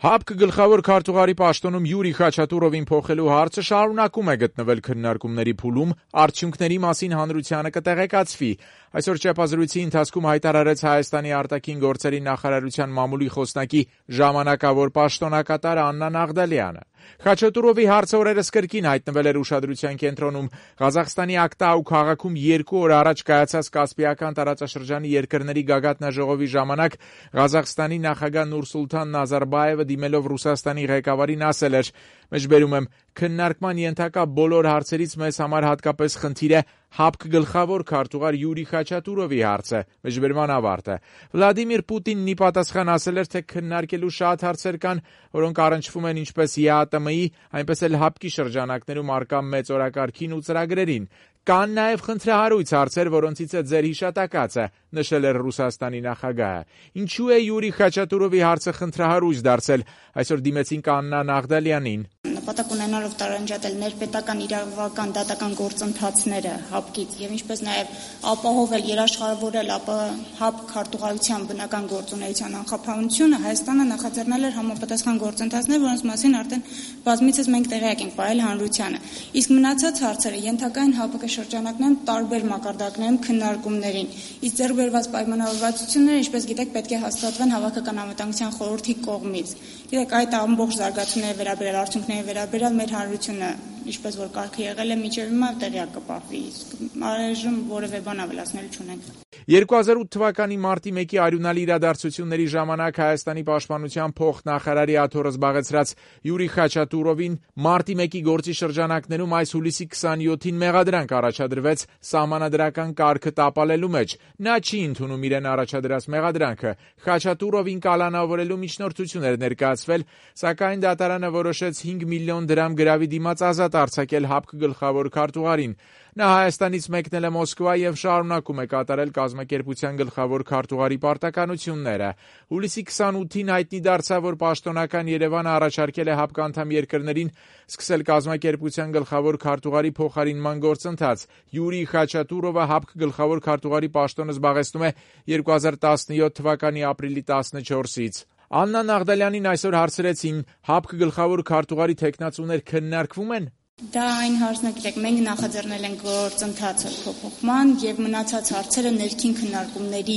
ՀԱՊԿ գլխավոր քարտուղարի պաշտոնում Յուրի Խաչատուրովին փոխելու հարցը շարունակում է գտնվել քննարկումների փուլում, արդյունքների մասին հանրությանը կտեղեկացվի։ Այսօր ճեպազրույցի ընթացքում հայտարարեց Հայաստանի արտաքին գործերի նախարարության մամուլի խոսնակի ժամանակավոր պաշտոնակատար Աննա Նաղդալյանը։ Խաչատուրովի հարցը օրերս կրկին հայտնվել էր ուշադրության կենտրոնում։ Ղազախստանի Ակտաու քաղաքում 2 օր առաջ կայացած Կասպիական տարածաշրջանի երկրների գագաթնաժողովի ժամանակ Ղազախստանի նախագահ Նուրսուլթան Նազարբաևը դիմելով Ռուսաստանի ղեկավարին ասել էր. «Մեջբերում եմ, քննարկման ենթակա բոլոր հարցերից մեզ համար հատկապես խնդիր է ՀԱՊԿ գլխավոր քարտուղար Յուրի Խաչատուրովի հարցը»։ Մեջբերման ավարտը։ Վլադիմիր Պուտինն ի պատասխան ասել էր, թե քննարկելու շատ հարցեր կան, որոնք առնչվում են ինչպես ԵԱՏՄ-ի, այնպես էլ ՀԱՊԿ-ի շրջանակներում առկա մեծ օրակարգին ու ծրագրերին։ Կան նաև խնդրահարույց հարցեր, որոնցից է ձեր հիշատակածը, նշել էր Ռուսաստանի նախագահը։ Ինչու է Յուրի Խաչատուրովի հարցը խնդրահարույց դարձել, այսօր դիմեցինք Աննա Նաղդալյանին։ Նպատակ ունենալով տարանջատել ներպետական իրավական դատական գործընթացները ՀԱՊԿ-ից եւ ինչպես նաեւ ապահովել երաշխավորել ՀԱՊԿ քարտուղարության բնական գործունեության անխափանությունը, Հայաստանը նախաձեռնել էր համապատասխան գործընթացներ, որոնց մասին արդեն բազմիցս մենք տեղյակ ենք ողել հանրությանը։ Իսկ մնացած հարցերը ենթակա են ՀԱՊԿ շրջանակներում տարբեր մակարդակներում քննարկումներին։ Իսկ ձեռքբերված պայմանավորվածությունները, ինչպես գիտեք, պետք է հաստատվեն Հավաքական անվտանգության խորհրդի կողմից։ Գիտեք, այդ ամբողջ զարգացումների վերաբերյալ արդյունքների վերաբերյալ մեր հանրությունը, ինչպես որ կարգը եղել է մինչև հիմա, տեղյակ կպահվի, իսկ առայժմ որևէ բան ավելացնելու չունենք։ 2008 թվականի մարտի 1-ի արյունալի իրադարձությունների ժամանակ Հայաստանի պաշտպանության փոխնախարարի աթոռը զբաղեցրած Յուրի Խաչատուրովին մարտի 1-ի գործի շրջանակներում այս հուլիսի 27-ին մեղադրանք առաջադրվեց սահմանադրական կարգը տապալելու մեջ։ Նա չի ընդունում իրեն առաջադրած մեղադրանքը։ Խաչատուրովին կալանավորելու միջնորդություն էր ներկայացվել, սակայն դատարանը որոշեց 5 միլիոն դրամ գրավի դիմաց ազատ արձակել ՀԱՊԿ գլխավոր քարտուղարին։ Նա Հայաստանից մեկնել է Մոսկվա եւ շարունակում է կատարել կազմակերպության գլխավոր քարտուղարի պարտականությունները։ Հուլիսի 28-ին հայտնի դարձավ, որ պաշտոնական Երևանը առաջարկել է ՀԱՊԿ անդամ երկրներին սկսել կազմակերպության գլխավոր քարտուղարի փոխարինման գործընթաց։ Յուրի Խաչատուրովը ՀԱՊԿ գլխավոր քարտուղարի պաշտոնը զբաղեցնում է 2017 թվականի ապրիլի 14-ից։ Աննա Նաղդալյանին այսօր հարցրեցին. ՀԱՊԿ գլխավոր քարտուղարի թեկնածուներ քննարկվում են։ Դա այն հարցն է, գիտեք, մենք նախաձեռնել ենք գործընթացը փոփոխման եւ մնացած հարցերը ներքին քննարկումների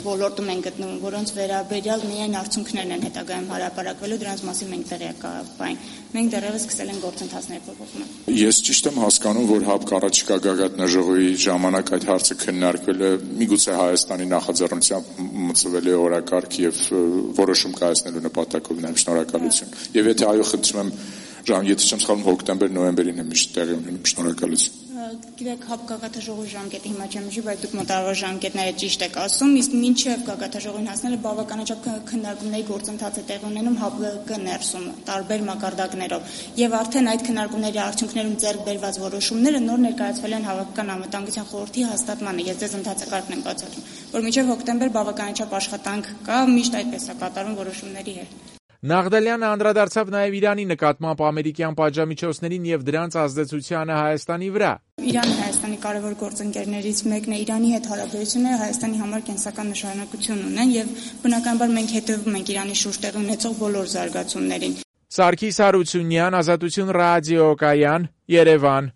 ոլորտում են գտնվում, որոնց վերաբերյալ միայն արդյունքներն են հետագայում հարաբերակվելու, դրանց մասին մենք տեղյակ կային։ Մենք դեռևս սկսել ենք գործընթացների փոփոխումը։ Ես ճիշտ եմ հասկանում, որ ՀԱՊԿ առաջիկա գագաթնաժողովի ժամանակ այդ հարցը քննարկվել է միգուցե Հայաստանի նախաձեռնությամբ մտցվել է օրակարգ եւ որոշում կայացնելու նպատակով նաեւ շնորհակալություն։ Եվ եթե այո, խնդրում եմ եթե չեմ սխալվում, հոկտեմբեր-նոյեմբերին է միշտ տեղի ունենում, շնորհակալություն։ Գիտեք, ՀԱՊԿ գագաթնաժողովի ժամկետը հիմա չեմ հիշի, բայց դուք մոտավորապես ժամկետները ճիշտ եք ասում, իսկ մինչև գագաթնաժողովին հասնելը բավականաչափ քննարկումների գործընթաց է տեղի ունենում ՀԱՊԿ ներսում, տարբեր մակարդակներով, եւ արդեն այդ քննարկումների արդյունքներում ձեռք բերված որոշումները նոր ներկայացվել են Հավաքական անվտանգության խորհրդի հաստատմանը։ Ես ձեզ ընթացակարգն եմ բացատրում, որ մինչև հոկտեմբեր բավականաչափ աշխատանք կա, միշտ այդպես է կատարվում որոշումների հետ։ Նաղդալյանը անդրադարձավ նաև Իրանի նկատմամբ ամերիկյան պատժամիջոցներին եւ դրանց ազդեցությանը Հայաստանի վրա։ Իրանը Հայաստանի կարևոր գործընկերներից մեկն է, Իրանի հետ հարաբերությունները Հայաստանի համար կենսական նշանակություն ունեն եւ բնականաբար մենք հետևում ենք Իրանի շուրջ տեղի ունեցող բոլոր զարգացումներին։ Սարգիս Հարությունյան, Ազատություն ռադիոկայան, Երևան։